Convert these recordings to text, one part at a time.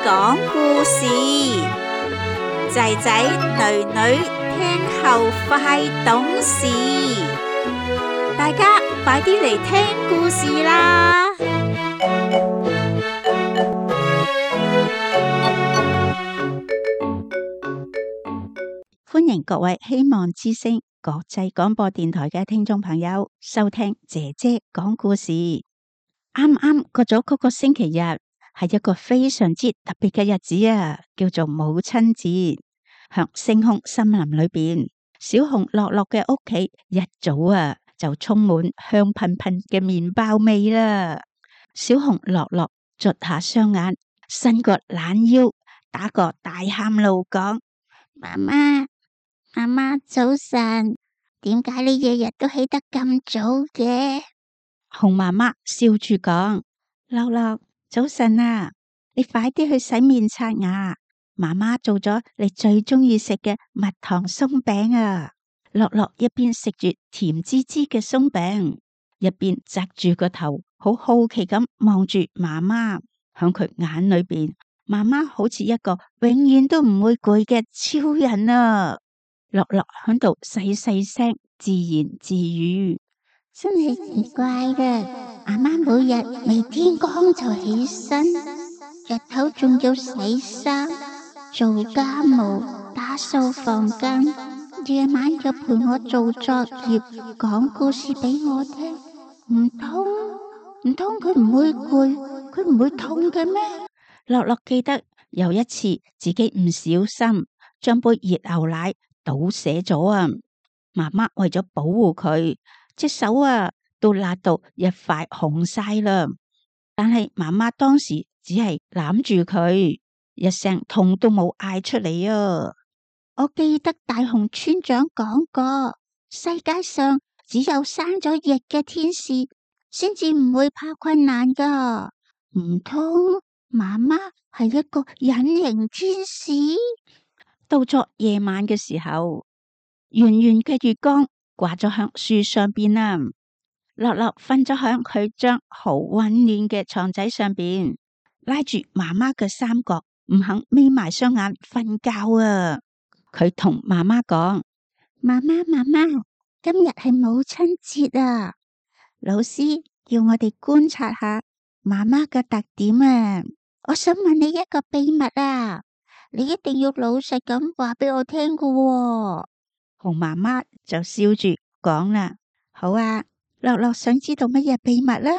講故事，仔仔女女聽後快懂事，大家快啲嚟聽故事啦！歡迎各位希望之聲國際廣播電台嘅聽眾朋友收聽姐姐講故事。啱啱過咗嗰個星期日，係一個非常之特別嘅日子啊，叫做母親節。響星空森林裏邊，小熊樂樂嘅屋企一早啊就充滿香噴噴嘅麵包味啦。小熊樂樂捽下雙眼，伸個懶腰，打個大喊路講：媽媽，媽媽早晨，點解你日日都起得咁早嘅？熊媽媽笑住講：樂樂，早晨啊，你快啲去洗面刷牙。媽媽做咗你最中意食嘅蜜糖鬆餅啊！樂樂一邊食住甜滋滋嘅鬆餅，一邊側住個頭，好好奇咁望住媽媽。響佢眼裏邊，媽媽好似一個永遠都唔會攰嘅超人啊！樂樂響度細細聲自言自語：真係奇怪嘅，媽媽每日未天光就起身，日頭仲要洗衫、做家務、打掃房間，夜晚又陪我做作業、講故事俾我聽。唔通佢唔會攰，佢唔會痛嘅咩？樂樂記得有一次自己唔小心將杯熱牛奶倒瀉咗啊！媽媽為咗保護佢，隻手啊都辣到一塊紅晒啦。但係媽媽當時只係攬住佢，一聲痛都冇嗌出嚟啊！我記得大熊村長講過，世界上只有生咗翼嘅天使先至唔會怕困難噶。唔通媽媽係一個隱形天使？到咗夜晚嘅時候，圓圓嘅月光掛咗響樹上邊啦。樂樂瞓咗響佢張好溫暖嘅床仔上邊，拉住媽媽嘅衫角，唔肯眯埋雙眼瞓覺啊！佢同媽媽講：媽媽，今日係母親節啊！老師叫我哋觀察下媽媽嘅特點啊！我想問你一個秘密啊！你一定要老實咁話俾我聽噶喎。熊媽媽就笑住講啦：好啊，樂樂想知道乜嘢秘密啦？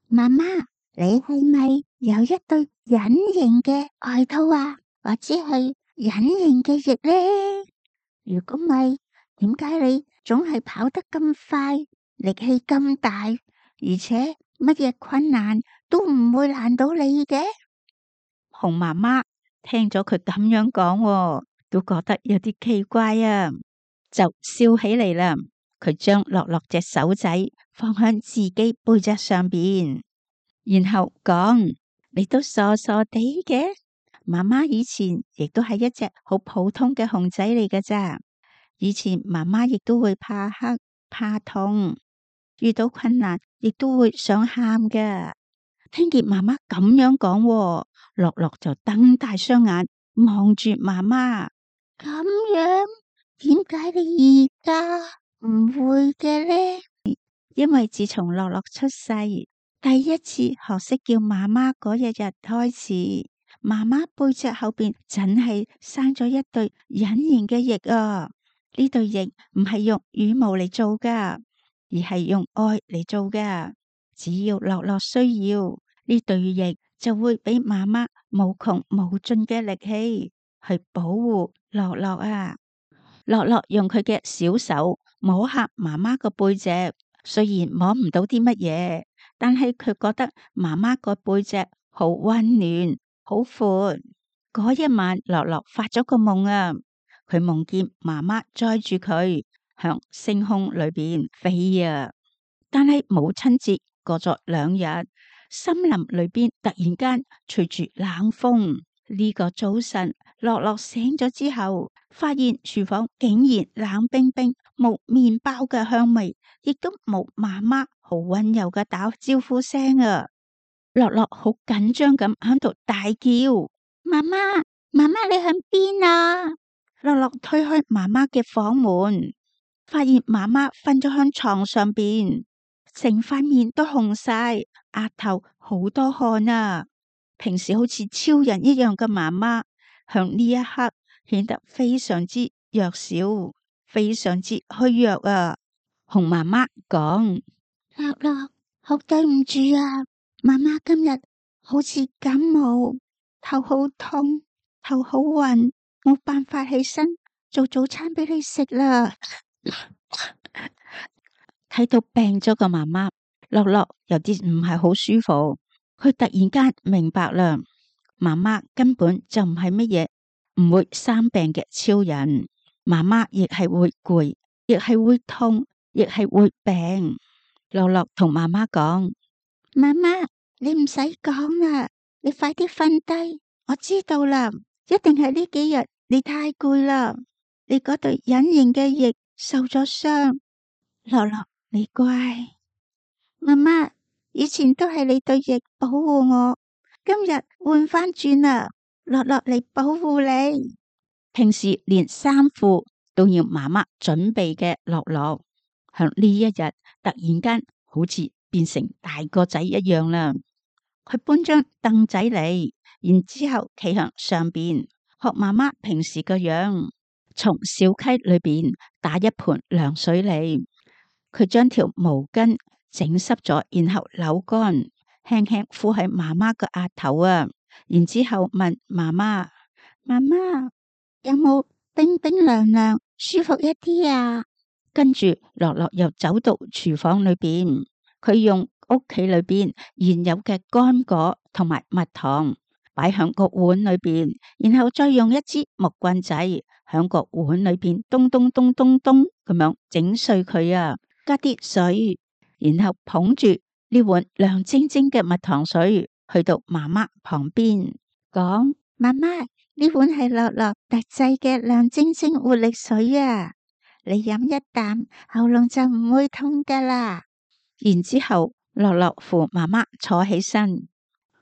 媽媽，你係咪有一對隱形嘅外套啊？或者係隱形嘅翼呢？如果唔係，點解你總係跑得咁快，力氣咁大，而且乜嘢困難都唔會難到你嘅？熊媽媽聽咗佢咁樣講，都覺得有啲奇怪啊，就笑起嚟啦。佢將樂樂隻手仔放喺自己背脊上邊，然後講：你都傻傻地嘅，媽媽以前亦都係一隻好普通嘅熊仔嚟㗎咋。以前媽媽亦都會怕黑、怕痛，遇到困難亦都會想喊㗎。聽見媽媽咁樣講，樂樂就瞪大雙眼望住媽媽。咁樣，點解你而家唔會嘅呢？因為自從樂樂出世，第一次學識叫媽媽嗰日開始，媽媽背脊後邊真係生咗一對隱形嘅翼啊！呢對翼唔係用羽毛嚟做噶，而係用愛嚟做噶。只要樂樂需要，呢對翼就會俾媽媽無窮無盡嘅力氣去保護樂樂啊！樂樂用佢嘅小手摸下媽媽個背脊，雖然摸唔到啲乜嘢，但係佢覺得媽媽個背脊好溫暖、好闊。嗰一晚，樂樂發咗個夢啊！佢夢見媽媽載住佢向星空裏邊飛啊！但係母親節過咗2日，森林裏邊突然間吹住冷風。呢個早晨，樂樂醒咗之後，發現廚房竟然冷冰冰，冇麵包嘅香味，亦都冇媽媽好溫柔嘅打招呼聲啊！樂樂好緊張咁喺度大叫：媽媽，媽媽你喺邊啊？樂樂推開媽媽嘅房門，發現媽媽瞓咗喺床上邊，成塊面都紅晒，額頭好多汗啊！平時好似超人一樣嘅媽媽，響呢一刻顯得非常之弱小，非常之虛弱啊！熊媽媽講：樂樂，好對唔住啊，媽媽今日好似感冒，頭好痛，頭好暈，冇辦法起身做早餐俾你食啦。睇到病咗個媽媽，樂樂有啲唔係好舒服。佢突然間明白啦，媽媽根本就唔係乜嘢唔會生病嘅超人，媽媽亦係會攰，亦係會痛，亦係會病。樂樂同媽媽講：媽媽，你唔使講啦，你快啲瞓低，我知道啦，一定係呢幾日你太攰啦，你嗰對隱形嘅翼受咗傷。樂樂，你乖，媽媽，以前都係你對翼保護我，今日換翻轉啦，樂樂嚟保護你。平時連衫褲都要媽媽準備嘅樂樂，響呢一日突然間好似變成大個仔一樣啦。佢搬張凳仔嚟，然之後企向上邊，學媽媽平時個樣，從小溪裏邊打一盆涼水嚟。佢將條毛巾整濕咗，然後扭乾，輕輕敷喺媽媽個額頭啊。然之後問媽媽：媽媽有冇冰冰涼涼，舒服一啲啊？跟住樂樂又走到廚房裏邊，佢用屋企裏邊現有嘅乾果同埋蜜糖擺響個碗裏邊，然後再用一支木棍仔響個碗裏邊咚咚咚咚咚咁樣整碎佢啊！加啲水，然後捧住呢碗涼晶晶嘅蜜糖水，去到媽媽旁邊講：媽媽，呢碗係樂樂特製嘅涼晶晶活力水啊！你飲一啖，喉嚨就唔會痛噶啦。然之後，樂樂扶媽媽坐起身，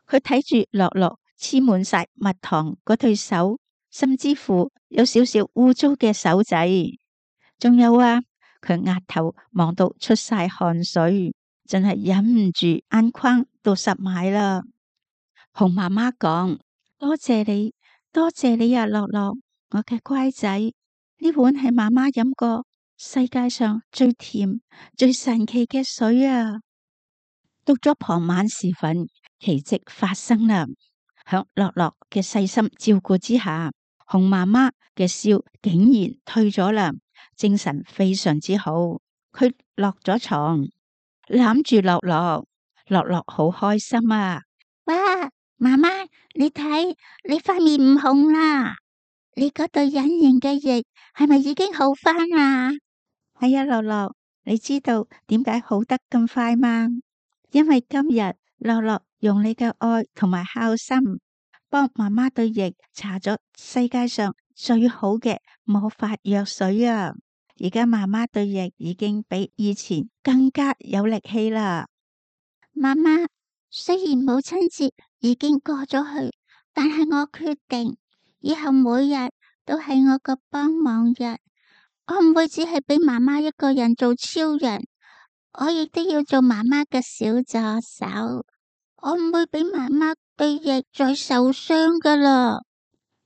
佢睇住樂樂黐滿晒蜜糖嗰對手，甚至乎有少少污糟嘅手仔，仲有啊！佢額頭望到出晒汗水，真係忍唔住眼眶都濕埋啦。熊媽媽講：多謝你，多謝你啊，樂樂，我嘅乖仔，呢碗係媽媽飲過世界上最甜、最神奇嘅水啊！到咗傍晚時分，奇蹟發生啦。響樂樂嘅細心照顧之下，熊媽媽嘅燒竟然退咗啦。精神非常之好，佢落咗床，攬住樂樂，樂樂好開心啊！哇，媽媽，你睇你塊面唔紅啦，你嗰對隱形嘅翼係咪已經好返啊？係啊，樂樂，你知道點解好得咁快嗎？因為今日樂樂用你嘅愛同埋孝心，幫媽媽對翼搽咗世界上最好嘅魔法藥水啊！而家媽媽對翼已經比以前更加有力氣啦。媽媽，雖然母親節已經過咗去，但係我決定以後每日都係我個幫忙日。我唔會只係俾媽媽一個人做超人，我亦都要做媽媽嘅小助手。我唔會俾媽媽對翼再受傷噶啦。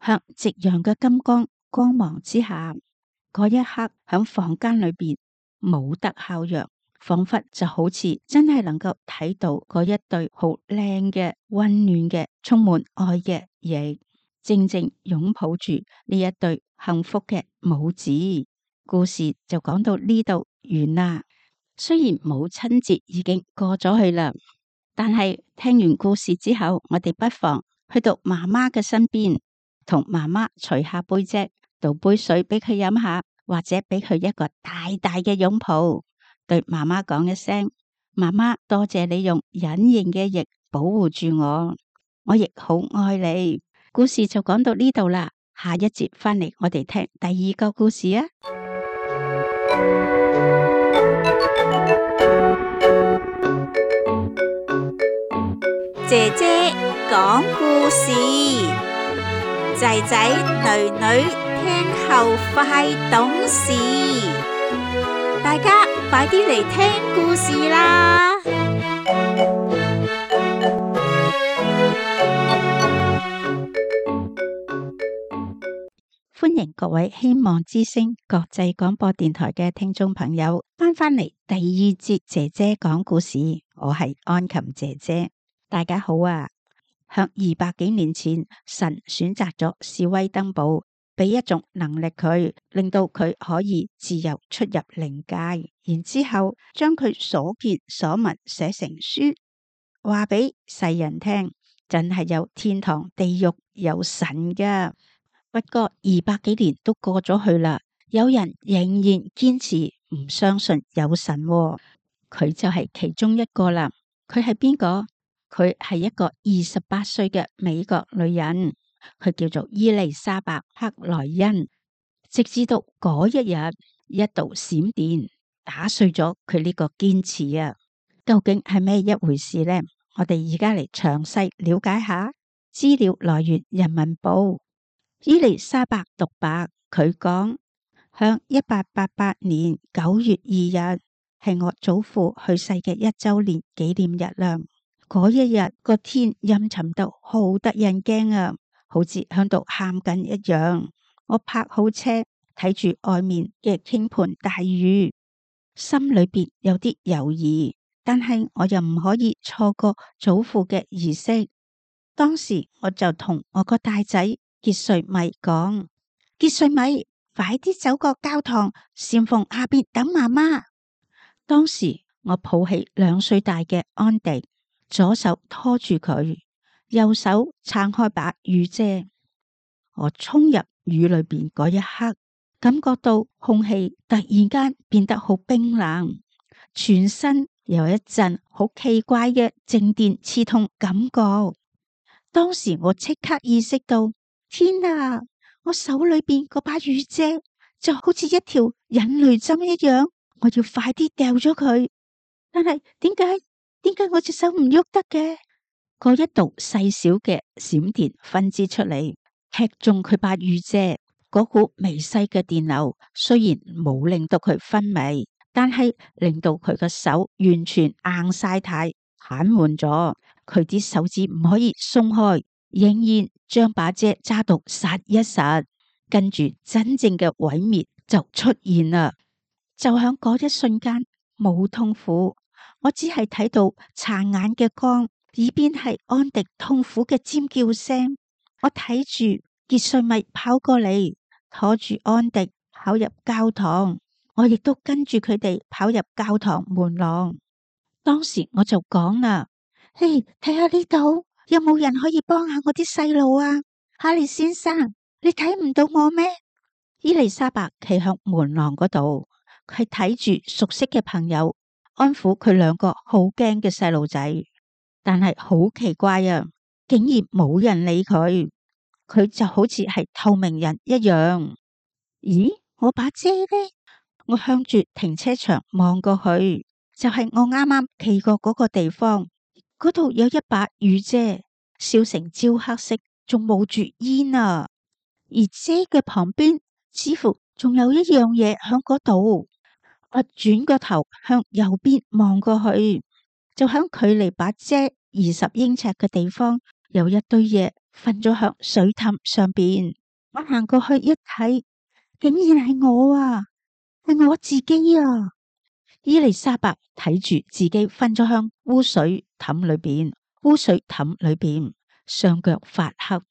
向夕陽嘅金光芒之下，嗰一刻響房間裏邊冇得效藥，仿佛就好似真係能夠睇到嗰一對好靚嘅、溫暖嘅、充滿愛嘅翼，靜靜擁抱住呢一對幸福嘅母子。故事就講到呢度完啦。雖然母親節已經過咗去啦，但係聽完故事之後，我哋不妨去到媽媽嘅身邊，同媽媽除下背脊，倒杯水俾佢飲下，或者俾佢一個大大嘅擁抱，對媽媽講一聲：媽媽，多謝你用隱形嘅翼保護住我，我亦好愛你。故事就講到呢度啦，下一節翻嚟我哋聽第二個故事啊！姐姐講故事。仔仔女女聽後快懂事，大家快啲嚟聽故事啦！歡迎各位希望之聲國際廣播電台嘅聽眾朋友返嚟第二節姐姐講故事，我係安琴姐姐，大家好啊！向200幾年前，神選擇咗史威登堡，俾一種能力佢，令到佢可以自由出入靈界，然之後將佢所見所聞寫成書，話俾世人聽，真係有天堂、地獄、有神噶。不過200幾年都過咗去啦，有人仍然堅持唔相信有神喎，佢就係其中一個啦。佢係邊個？佢係一個28歲嘅美國女人，佢叫做伊麗莎白克萊恩。直至到嗰一日，一道閃電打碎咗佢呢個堅持啊！究竟係咩一回事呢？我哋而家嚟詳細了解下。資料來源人民報。伊麗莎白獨白，佢講向1888年9月2日係我祖父去世嘅1周年紀念日啦。嗰一日個天陰沉到好得人驚啊，好似響度喊緊一樣。我泊好車，睇住外面嘅傾盆大雨，心裏邊有啲猶豫，但係我又唔可以錯過祖父嘅儀式。當時我就同我個大仔傑瑞米講：傑瑞米，快啲走過教堂，禪縫下邊等媽媽。當時我抱起2歲大嘅安迪，左手拖住佢，右手撐開把雨遮。我衝入雨裏邊嗰一刻，感覺到空氣突然間變得好冰冷，全身有一陣好奇怪嘅靜電刺痛感覺。當時我即刻意識到，天啊！我手裏邊嗰把雨遮就好似一條引雷針一樣，我要快啲掉咗佢。但係點解我隻手唔喐得嘅？嗰一道細小嘅閃電分支出嚟，踢中佢把雨遮。嗰股微細嘅電流雖然冇令到佢昏迷，但係令到佢個手完全硬晒太，癱瘓咗。佢啲手指唔可以鬆開，仍然將把遮揸到實一實。跟住真正嘅毀滅就出現啦。就響嗰一瞬間，冇痛苦。我只係睇到殘眼嘅光，耳邊係安迪痛苦嘅尖叫聲。我睇住傑瑞米跑過嚟，拖住安迪跑入教堂，我亦都跟住佢哋跑入教堂門廊。當時我就講啦：嘿，睇下呢度有冇人可以幫下我啲細路啊？哈利先生，你睇唔到我咩？伊麗莎白企向門廊嗰度，佢睇住熟悉嘅朋友，安撫佢2個好驚嘅細路仔，但係好奇怪啊，竟然冇人理佢，佢就好似係透明人一樣。咦，我把遮呢？我向住停車場望過去，就係我啱啱企過嗰個地方，嗰度有一把雨遮，燒成焦黑色，仲冒住煙啊！而遮嘅旁邊似乎仲有一樣嘢響嗰度。我轉個頭向右邊望過去，就響距離把遮20英尺嘅地方，有一堆嘢瞓咗響水凼上邊。我行過去一睇，竟然係我啊，係我自己啊！伊麗莎白睇住自己瞓咗響污水凼裏邊，雙腳發黑，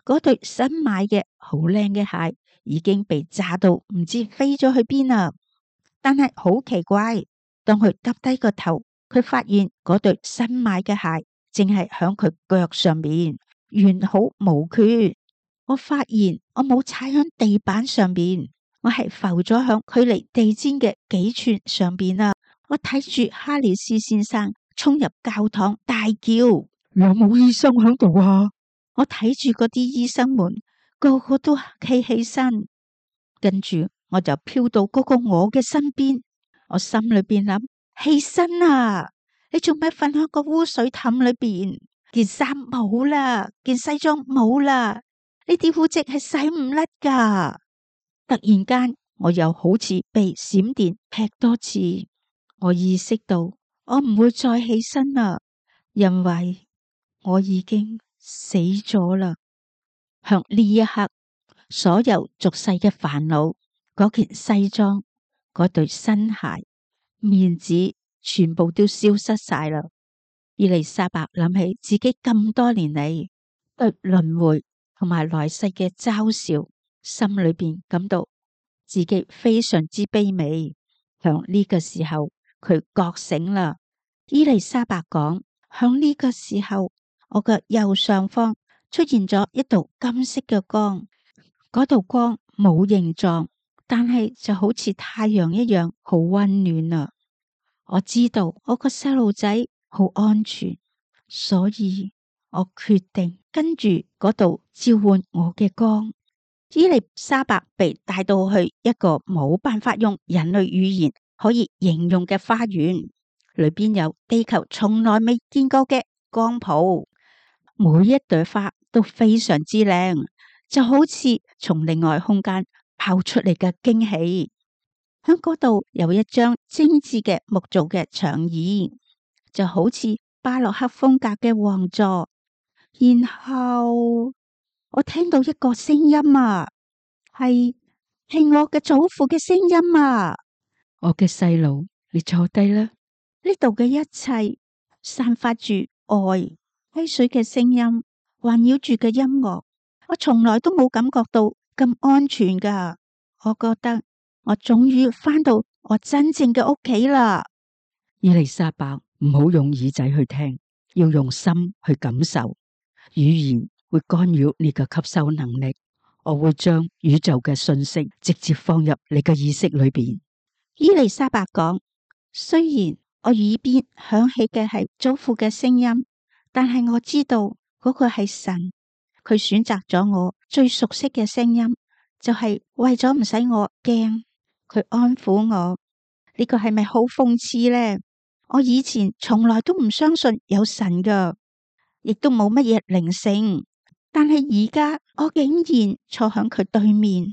嗰對新買嘅好靚嘅鞋已經被炸到唔知飛咗去邊啦。但係好奇怪，當佢耷低個頭，佢發現嗰對新買嘅鞋正係響佢腳上面，完好無缺。我發現我冇踩響地板上邊，我係浮咗響距離地氈嘅幾寸上邊啦。我睇住哈里斯先生衝入教堂，大叫：有冇醫生響度啊？我睇住嗰啲醫生們個個都企起身，跟住我就飄到嗰個我嘅身邊。我心裏邊諗：起身啊！你做咩瞓喺個污水凼裏邊？件衫冇啦，件西裝冇啦，呢啲污漬係洗唔甩噶。突然間，我又好似被閃電劈多次，我意識到我唔會再起身啦，因為我已經死咗啦。向呢一刻，所有俗世嘅煩惱，嗰件西裝，嗰對新鞋，面子，全部都消失晒啦。伊麗莎白諗起自己咁多年嚟對輪迴同埋來世嘅嘲笑，心裏邊感到自己非常之卑微。響呢個時候，佢覺醒啦。伊麗莎白講：響呢個時候，我嘅右上方出現咗一道金色嘅光，嗰道光冇形狀，但係就好似太陽一樣好溫暖啊！我知道我個細路仔好安全，所以我決定跟住嗰度召喚我嘅光。伊麗莎白被帶到去一個冇辦法用人類語言可以形容嘅花園，裏邊有地球從來未見過嘅光譜，每一朵花都非常之靚，就好似從另外空間拋出嚟嘅驚喜。喺嗰度有一張精緻嘅木造嘅長椅，就好似巴洛克風格嘅王座。然後我聽到一個聲音啊，係我嘅祖父嘅聲音啊！我嘅細路，你坐低啦。呢度嘅一切散發住愛、溪水嘅聲音，環繞住嘅音樂，我從來都冇感覺到咁安全噶。我覺得我終於返到我真正嘅屋企啦。伊麗莎白，唔好用耳仔去聽，要用心去感受。語言會干擾你嘅吸收能力。我會將宇宙嘅信息直接放入你嘅意識裏邊。伊麗莎白講：雖然我耳邊響起嘅係祖父嘅聲音，但係我知道嗰個係神，佢選擇咗我最熟悉嘅聲音，就係為咗唔使我驚，佢安撫我。呢個係咪好諷刺呢？我以前從來都唔相信有神噶，亦都冇乜嘢靈性，但係而家我竟然坐響佢對面。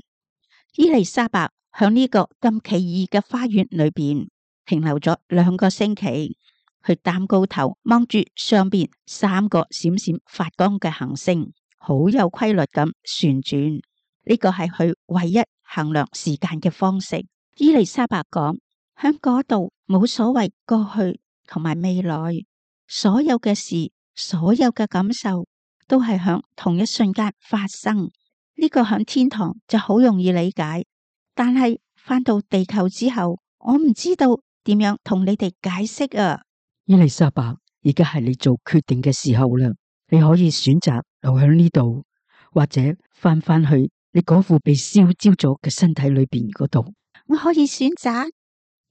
伊麗莎白響呢個咁奇異嘅花園裏邊停留咗2個星期，佢擔高頭望住上邊3個閃閃發光嘅行星，好有規律咁旋轉。呢個係佢唯一衡量時間嘅方式。伊麗莎白講：響嗰度冇所謂過去同埋未來，所有嘅事，所有嘅感受都係響同一瞬間發生。呢個響天堂就好容易理解，但係返到地球之後，我唔知道點樣同你哋解釋啊。伊麗莎白，而家係你做決定嘅時候啦，你可以選擇留喺呢度，或者返去你嗰副被燒焦咗嘅身體裏邊嗰度。我可以選擇，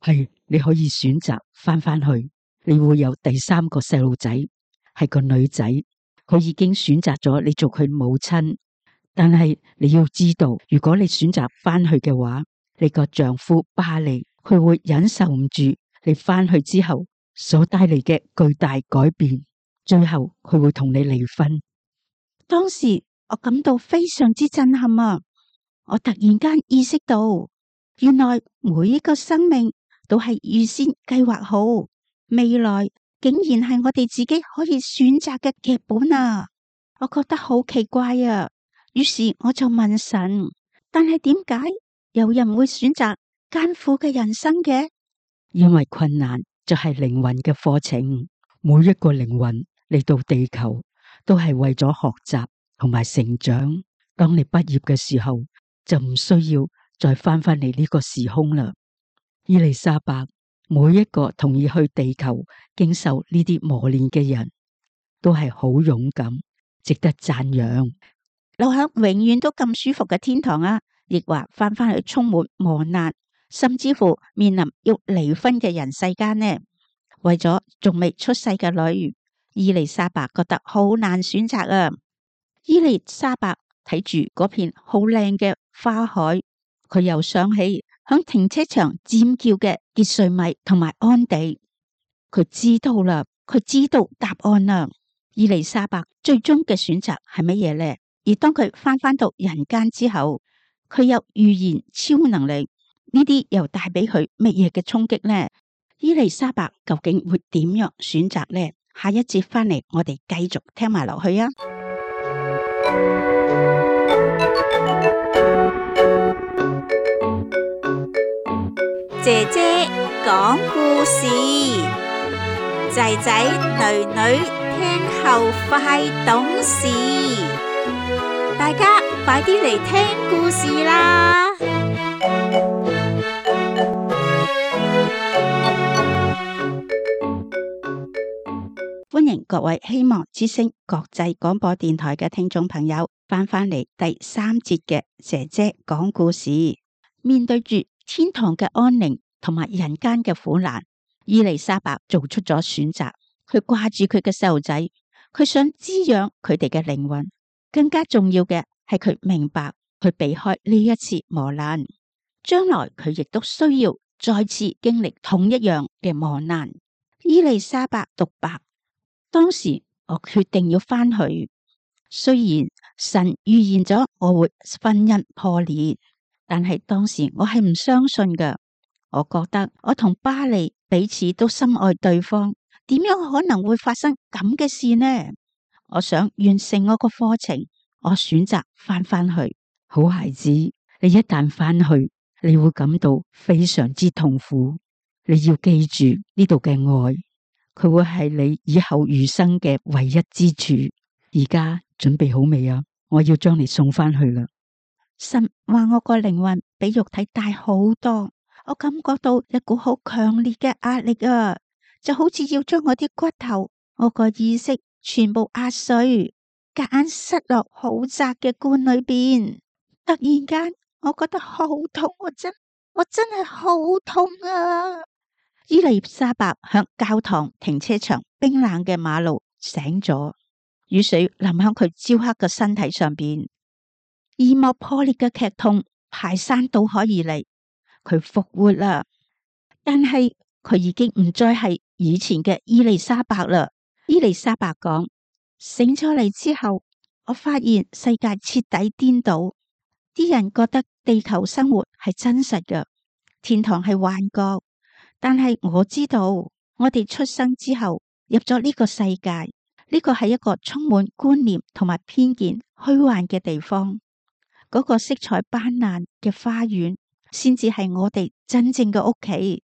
係你可以選擇返去，你會有第3個細路仔，係個女仔，佢已經選擇咗你做佢母親。但係你要知道，如果你選擇返去嘅話，你個丈夫巴利佢會忍受唔住你返去之後所帶嚟嘅巨大改變，最後佢會同你離婚。當時我感到非常之震撼啊！我突然間意識到，原來每一個生命都係預先計劃好，未來竟然係我哋自己可以選擇嘅劇本啊！我覺得好奇怪啊！於是我就問神，但係點解有人會選擇艱苦嘅人生嘅？因為困難就係靈魂嘅課程，每一個靈魂嚟到地球都係為咗學習同埋成長。當你畢業嘅時候，就唔需要再翻嚟呢個時空啦。伊麗莎白，每一個同意去地球經受呢啲磨練嘅人，都係好勇敢，值得讚揚。留喺永遠都咁舒服嘅天堂啊，亦或翻去充滿磨難，甚至乎面臨要離婚嘅人世間呢？為咗仲未出世嘅女，伊麗莎白覺得好難選擇啊！伊麗莎白睇住嗰片好靚嘅花海，佢又想起響停車場尖叫嘅傑瑞米同埋安地，佢知道啦，佢知道答案啦。伊麗莎白最終嘅選擇係乜嘢呢？而當佢翻到人間之後，佢有預言超能力，呢啲又帶俾佢乜嘢嘅衝擊呢？伊麗莎白究竟會點樣選擇呢？下一節翻嚟，我哋繼續聽埋落去啊！姐姐講故事，仔仔女女聽後快懂事，大家快啲嚟聽故事啦！歡迎各位希望之聲國際廣播電台嘅聽眾朋友翻嚟第三節嘅姐姐講故事。面對住天堂嘅安寧同埋人間嘅苦難，伊麗莎白做出咗選擇。佢掛住佢嘅細路仔，佢想滋養佢哋嘅靈魂。更加重要嘅係佢明白，佢避開呢一次磨難，將來佢亦都需要再次經歷同一樣嘅磨難。伊麗莎白獨白：當時我決定要翻去，雖然神預言咗我會婚姻破裂，但係當時我係唔相信㗎。我覺得我同巴利彼此都深愛對方，點樣可能會發生咁嘅事呢？我想完成我個課程，我選擇翻去。好孩子，你一旦翻去，你會感到非常之痛苦。你要記住呢度嘅愛，佢會係你以後餘生嘅唯一之處。而家準備好未啊？我要將你送翻去啦。神話我個靈魂比肉體大好多，我感覺到一股好強烈嘅壓力啊，就好似要將我啲骨頭、我個意識全部壓碎，夾硬塞落好窄嘅罐裏邊。突然間，我覺得好痛，我真係好痛啊！伊麗莎白響教堂停車場冰冷嘅馬路醒咗，雨水淋響佢焦黑嘅身體上邊，耳膜破裂嘅劇痛排山倒海而嚟。佢復活啦，但係佢已經唔再係以前嘅伊麗莎白啦。伊麗莎白講：醒咗嚟之後，我發現世界徹底顛倒，啲人覺得地球生活係真實嘅，天堂係幻覺。但係我知道，我哋出生之後入咗呢個世界，呢個係一個充滿觀念同埋偏見、虛幻嘅地方。嗰個色彩斑斕嘅花園，先至係我哋真正嘅屋企。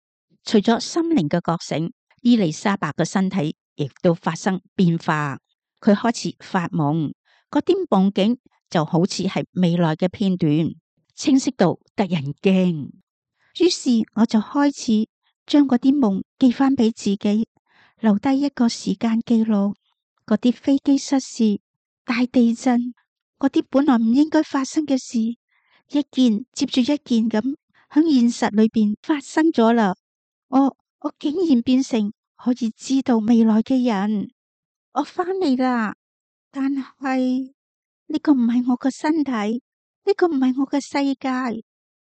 除咗心靈嘅覺醒，伊麗莎白嘅身體亦都發生變化。佢開始發夢，嗰啲夢境就好似係未來嘅片段，清晰到得人驚。於是我就開始將嗰啲夢記翻俾自己，留低一個時間記錄。嗰啲飛機失事、大地震，嗰啲本來唔應該發生嘅事，一件接住一件咁喺現實裏邊發生咗啦。我竟然變成可以知道未來嘅人。我翻嚟啦，但係呢個唔係我個身體，呢個唔係我嘅世界。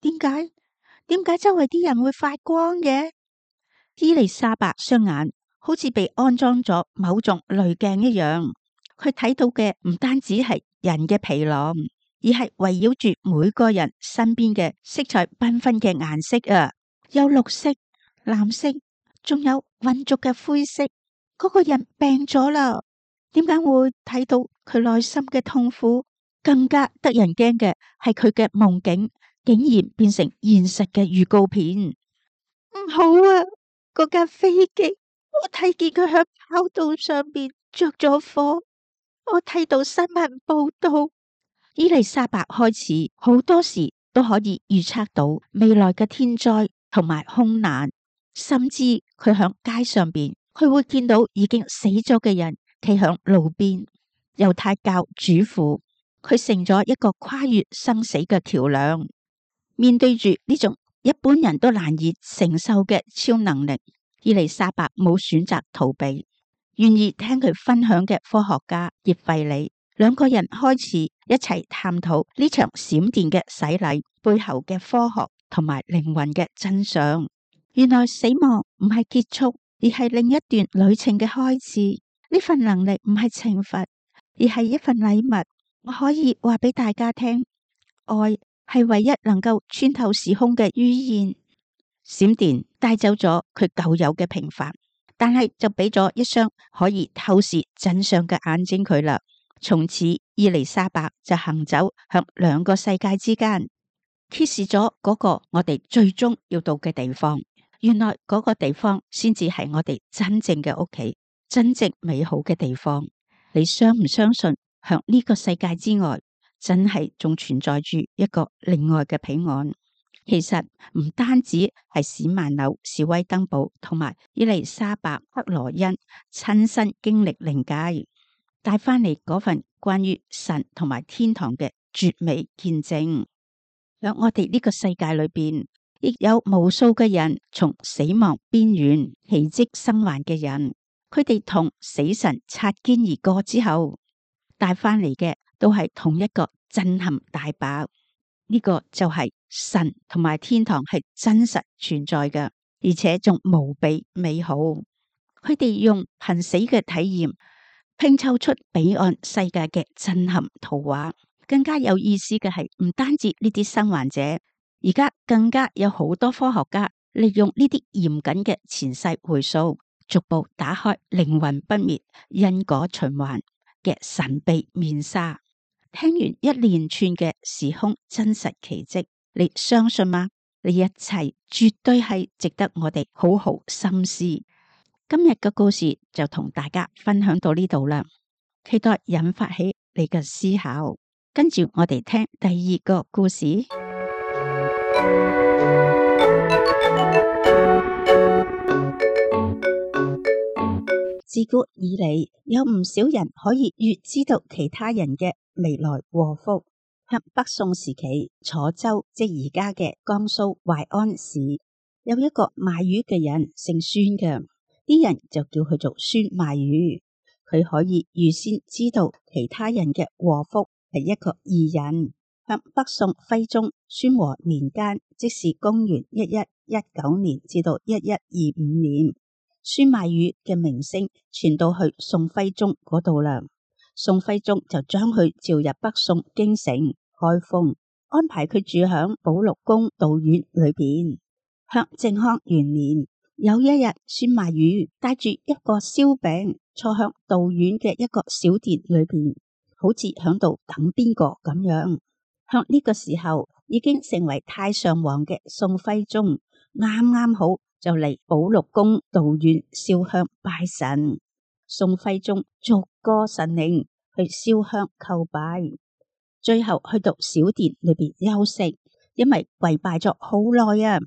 點解周圍啲人會發光嘅？伊麗莎白雙眼好似被安裝咗某種濾鏡一樣，佢睇到嘅唔單止係人嘅疲勞，而係圍繞住每個人身邊嘅色彩繽紛嘅顏色啊，有綠色、藍色，仲有渾濁嘅灰色。嗰個人病咗啦，點解會睇到佢內心嘅痛苦？更加得人驚嘅係佢嘅夢境竟然變成現實嘅預告片。唔好啊！嗰架飛機，我睇見佢喺跑道上邊着咗火。我睇到新聞報道，伊麗莎白開始好多時都可以預測到未來嘅天災同埋空難，甚至佢喺街上邊，佢會見到已經死咗嘅人企喺路邊。猶太教主婦，佢成咗一個跨越生死嘅橋樑。面對住呢種一般人都難以承受嘅超能力，伊麗莎白冇選擇逃避。願意聽佢分享嘅科學家葉費里，兩個人開始一齊探討呢場閃電嘅洗禮背後嘅科學同埋靈魂嘅真相。原來死亡唔係結束，而係另一段旅程嘅開始。呢份能力唔係懲罰，而係一份禮物。我可以話俾大家聽，愛係唯一能夠穿透時空嘅語言。閃電帶走咗佢舊有嘅平凡，但係就俾咗一雙可以透視真相嘅眼睛佢啦。從此伊麗莎白就行走向兩個世界之間，揭示咗嗰個我哋最終要到嘅地方。原來嗰個地方先至係我哋真正嘅屋企，真正美好嘅地方。你相唔相信向呢個世界之外，真係仲存在住一個另外嘅彼岸？其實唔單止係史曼紐、史威登堡同埋伊麗莎白克羅恩親身經歷靈界，帶翻嚟嗰份關於神同埋天堂嘅絕美見證。喺我哋呢個世界裏邊，亦有無數嘅人從死亡邊緣奇蹟生還嘅人，佢哋同死神擦肩而過之後，帶翻嚟嘅都係同一個震撼大爆。呢個就係神同埋天堂係真實存在嘅，而且仲無比美好。佢哋用瀕死嘅體驗拼湊出彼岸世界嘅震撼圖畫。更加有意思嘅係，唔單止呢啲生還者，而家更加有好多科學家利用呢啲嚴謹嘅前世回溯，逐步打開靈魂不滅、因果循環嘅神秘面紗。聽完一連串嘅時空真實奇蹟，你相信嗎？呢一切絕對係值得我哋好好深思。今日嘅故事就同大家分享到呢度啦，期待引發起你嘅思考。跟住我哋聽第二個故事。自古以嚟，有唔少人可以預知到其他人嘅未來禍福。喺北宋時期，楚州即而家嘅江蘇淮安市，有一個賣魚嘅人，姓孫嘅，啲人就叫佢做孫賣魚。佢可以預先知道其他人嘅禍福，係一個異人。喺北宋徽宗宣和年間，即是公元1119年至到1125年，孫賣魚嘅名聲傳到去宋徽宗嗰度啦。宋徽宗就將佢召入北宋京城開封，安排佢住響寶祿宮道院裏邊。響靖康元年，有一日，孫賣魚帶住一個燒餅，坐響道院嘅一個小店裏邊，好似響度等邊個咁樣。響呢個時候，已經成為太上皇嘅宋徽宗，啱啱好就嚟寶祿宮道院燒香拜神。宋徽宗逐個神靈去燒香叩拜，最後去到小殿裏邊休息，因為跪拜咗好耐啊，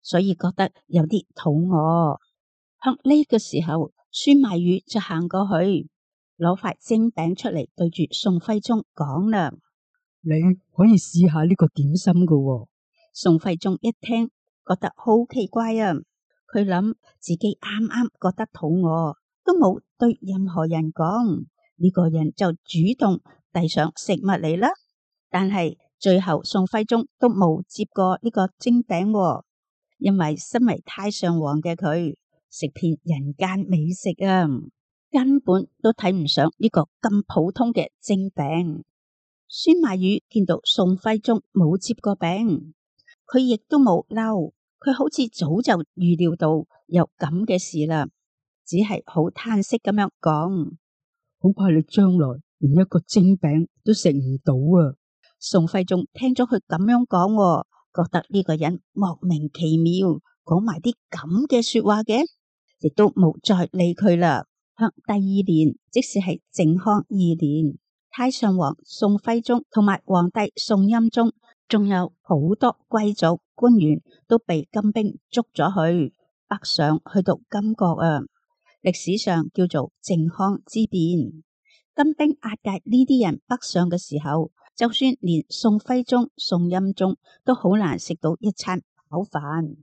所以覺得有啲肚餓。向呢個時候，孫賣魚就行過去，攞塊蒸餅出嚟，對住宋徽宗講啦：你可以試下呢個點心噶喎。宋徽宗一聽，覺得好奇怪啊！佢諗自己啱啱覺得肚餓，都冇對任何人講，呢個人就主動遞上食物嚟啦。但係最後宋徽宗都冇接過呢個蒸餅喎，因為身為太上皇嘅佢食遍人間美食啊，根本都睇唔上呢個咁普通嘅蒸餅。孫賣魚見到宋徽宗冇接過餅，佢亦都冇嬲，佢好似早就預料到有咁嘅事啦，只係好嘆息咁樣講：好怕你將來連一個蒸餅都食唔到啊！宋徽宗聽咗佢咁樣講，覺得呢個人莫名其妙，講埋啲咁嘅說話嘅，亦都冇再理佢啦。向第二年，即使係靖康2年，太上皇宋徽宗同埋皇帝宋欽宗，仲有好多貴族官員都被金兵捉咗去北上，去到金國啊。歷史上叫做靖康之變。金兵押解呢啲人北上嘅時候，就算連宋徽宗、宋欽宗都好難食到一餐飽飯，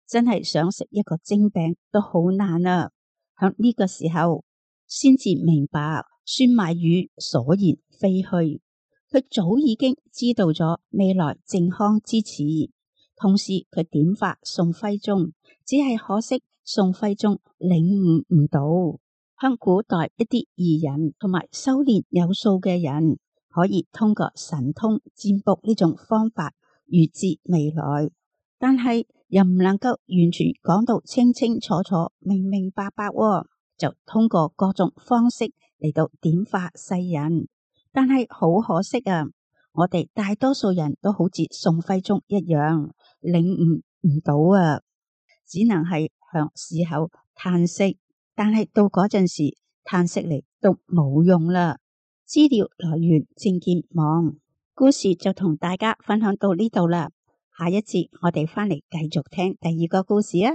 真係想食一個蒸餅都好難啊！響呢個時候，先至明白孫賣魚所言非虛，佢早已經知道咗未來靖康之始，同時佢點化宋徽宗，只係可惜宋徽宗領悟唔到。向古代一啲義人同埋修煉有素嘅人，可以通過神通占卜呢種方法預知未來，但係又唔能夠完全講到清清楚楚、明明白白喎，就通過各種方式嚟到點化世人。但係好可惜啊，我哋大多數人都好似宋徽宗一樣，領悟唔到啊，只能係向事後嘆息。但係到嗰陣時，嘆息嚟都冇用啦。資料來源正見網，故事就同大家分享到呢度啦。下一節我哋返嚟繼續聽第二個故事啊！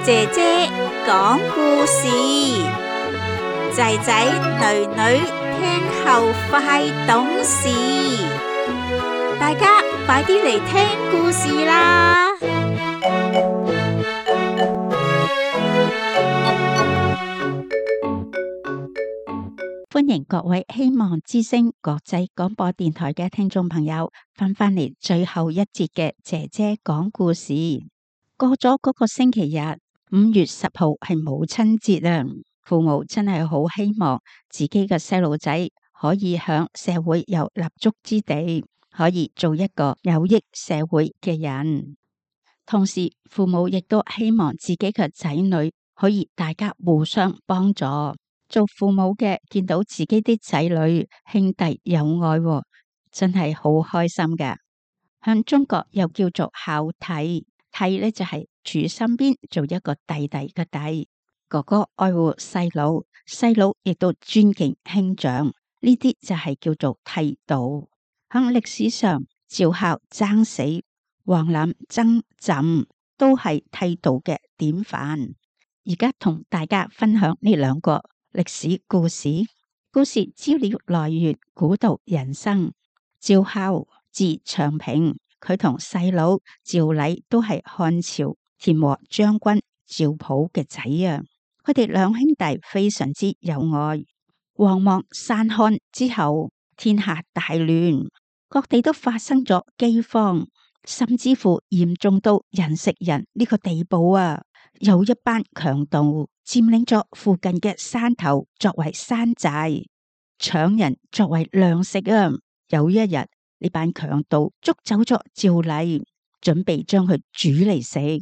姐姐講故事，仔仔女女聽後快懂事，大家快啲嚟聽故事啦！歡迎各位希望之聲國際廣播電台嘅聽眾朋友翻返嚟最後一節嘅姐姐講故事。過咗嗰個星期日，5月10號係母親節啊！父母真係好希望自己嘅細路仔可以響社會有立足之地，可以做一個有益社會嘅人。同時，父母亦都希望自己嘅仔女可以大家互相幫助。做父母嘅見到自己啲仔女兄弟有愛，真係好開心㗎。向中國又叫做孝悌，悌呢就係處身邊做一個弟弟嘅弟，哥哥愛護細佬，細佬亦都尊敬兄長，呢啲就係叫做悌道。喺歷史上，趙孝爭死，王覽爭朕，都係悌道嘅典範。而家同大家分享呢兩個歷史故事。故事資料來源古道人生。趙孝字長平，佢同細佬趙禮都係漢朝田和將軍趙普嘅仔啊。佢哋兩兄弟非常之有愛。王莽篡漢之後，天下大亂，各地都發生咗饑荒，甚至乎嚴重到人食人呢個地步啊！有一班強盜佔領咗附近嘅山頭作為山寨，搶人作為糧食啊！有一日，呢班強盜捉走咗趙禮，準備將佢煮嚟食。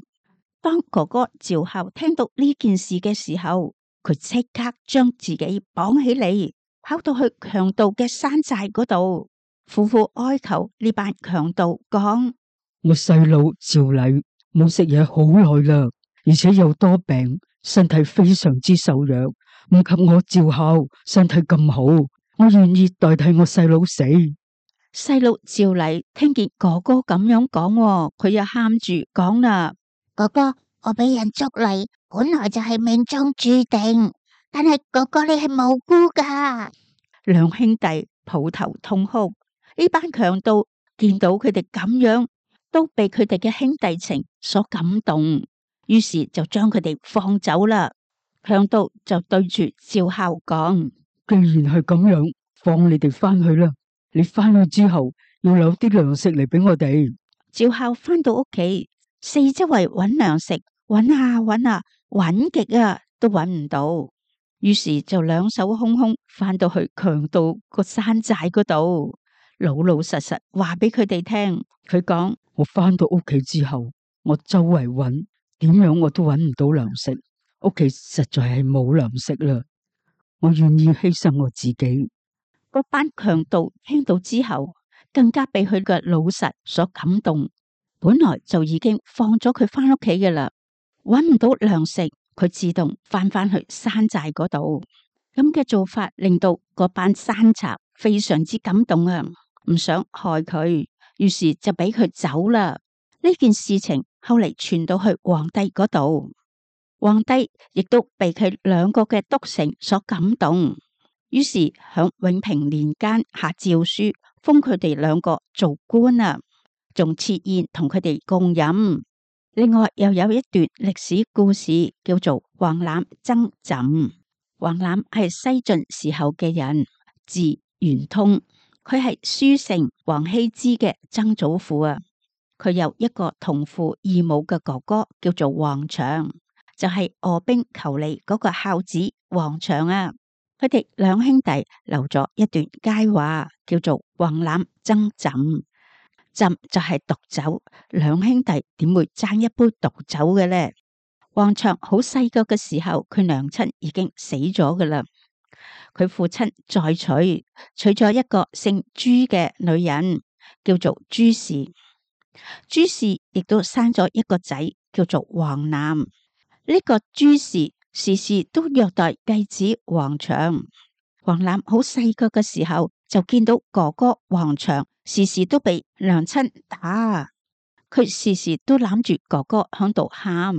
當哥哥趙孝聽到呢件事嘅時候，佢即刻將自己綁起嚟，跑到去強盜嘅山寨嗰度，苦苦哀求呢班強盜講：我細佬趙禮冇食嘢好耐啦，而且又多病，身體非常之瘦弱，唔及我趙孝身體咁好，我願意代替我細佬死。細佬趙禮聽見哥哥咁樣講，佢又喊住講啦：哥哥，我俾人捉嚟，本來就係命中注定，但係哥哥你係無辜噶。兩兄弟抱頭痛哭。呢班強盜見到佢哋咁樣，都被佢哋嘅兄弟情所感動，於是就將佢哋放走啦。強盜就對住趙孝講：既然係咁樣，放你哋翻去啦。你翻去之後要留啲糧食嚟俾我哋。趙孝翻到屋企，四周圍揾糧食，揾下揾下，揾極啊都揾唔到，於是就兩手空空翻到去強盜個山寨嗰度，老老實實話俾佢哋聽。佢講：我翻到屋企之後，我周圍揾，點樣我都揾唔到糧食，屋企實在係冇糧食啦。我願意犧牲我自己。嗰班強盜聽到之後，更加被佢嘅老實所感動。本來就已經放咗佢翻屋企嘅啦，揾唔到糧食，佢自動翻去山寨嗰度。咁嘅做法令到嗰班山賊非常之感動啊，唔想害佢，於是就俾佢走啦。呢件事情後嚟傳到去皇帝嗰度，皇帝亦都被佢兩個嘅督成所感動。於是響永平年間下詔書，封佢哋兩個做官啊，仲設宴同佢哋共飲。另外又有一段歷史故事叫做王覽爭朕。王覽係西晉時候嘅人，字玄通，佢係書聖王羲之嘅曾祖父啊。佢有一個同父異母嘅哥哥叫做王祥，就係臥冰求鯉嗰個孝子王祥啊。佢哋兩兄弟留咗一段佳話，叫做王欖爭枕。枕就係毒酒，兩兄弟點會爭一杯毒酒嘅呢？王祥好細個嘅時候，佢娘親已經死咗噶啦。佢父親再娶咗一個姓朱嘅女人，叫做朱氏。朱氏亦都生咗一個仔，叫做王欖。呢個朱氏時時都虐待繼子王祥。王欖好細個嘅時候就見到哥哥王祥時時都被娘親打，佢時時都攬住哥哥響度喊。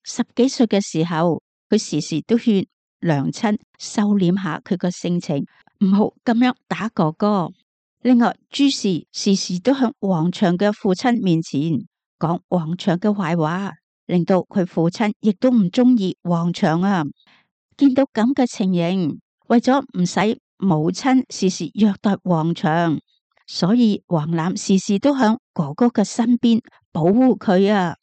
10幾歲嘅時候，佢時時都勸娘親收斂下佢個性情，唔好咁樣打哥哥。另外，朱氏時時都向王祥嘅父親面前講王祥嘅壞話，令到佢父親亦都唔中意王祥啊。見到咁嘅情形，為咗唔使母親時時虐待王祥，所以王欖時時都響哥哥嘅身邊保護佢啊。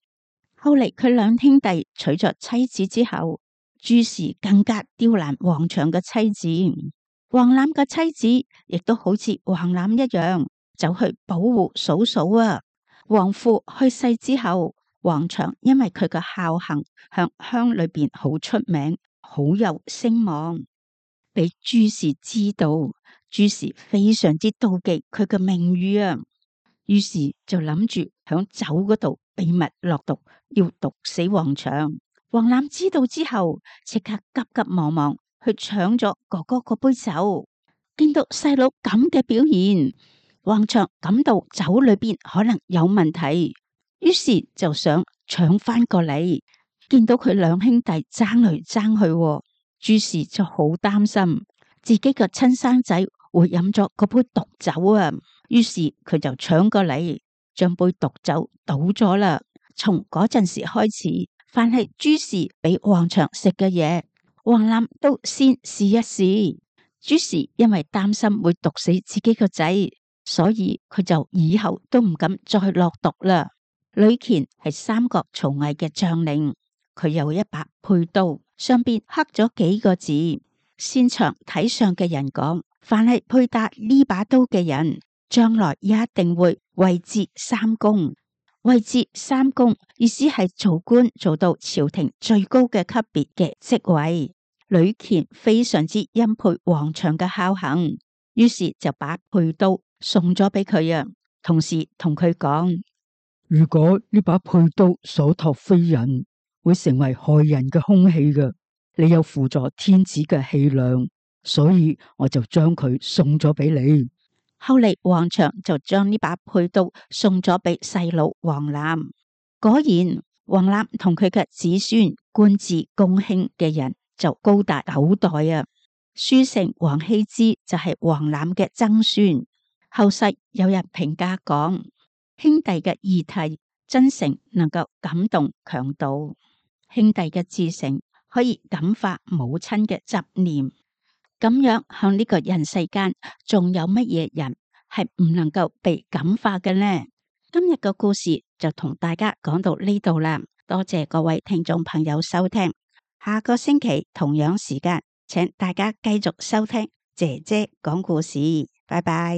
後嚟佢兩兄弟娶咗妻子之後，朱氏更加刁難王祥嘅妻子。王欖嘅妻子亦都好似王欖一樣，走去保護嫂嫂啊。王父去世之後，王祥因為佢嘅孝行，向鄉裏邊好出名，好有聲望。俾朱氏知道，朱氏非常之妒忌佢嘅名譽啊，於是就諗住響酒嗰度秘密落毒，要毒死王祥。王欖知道之後，即刻急急忙忙去搶咗哥哥嗰杯酒。見到細佬咁嘅表現，王祥感到酒裏邊可能有問題，於是就想搶翻過嚟。見到佢兩兄弟爭嚟爭去，朱氏就好擔心自己嘅親生仔會飲咗嗰杯毒酒啊，於是佢就搶過嚟，將杯毒酒倒咗啦。從嗰陣時開始，凡係朱氏俾王祥食嘅嘢，王欖都先試一試。朱氏因為擔心會毒死自己個仔，所以佢就以後都唔敢再落毒啦。呂虔係三國曹魏嘅將領，佢有一把佩刀，上邊刻咗幾個字。擅長睇相嘅人講，凡係佩戴呢把刀嘅人，將來一定會位至三公。位至三公意思係做官做到朝廷最高嘅級別嘅職位。呂虔非常之欽佩王祥嘅孝行，於是就把佩刀送咗俾佢啊，同時同佢講：如果呢把佩刀所託非人，會成為害人嘅兇器嘅。你有輔助天子嘅氣量，所以我就將佢送咗俾你。後嚟王祥就將呢把佩刀送咗俾細佬王欖。果然，王欖同佢嘅子孫官至公卿嘅人就高達9代啊。書丞王羲之就係王欖嘅曾孫。後世有人評價講，兄弟嘅義氣真誠能夠感動強盜，兄弟嘅至誠可以感化母親嘅執念。咁樣向呢個人世間，仲有乜嘢人係唔能夠被感化嘅呢？今日嘅故事就同大家講到呢度啦，多謝各位聽眾朋友收聽。下個星期同樣時間，請大家繼續收聽姐姐講故事。拜拜。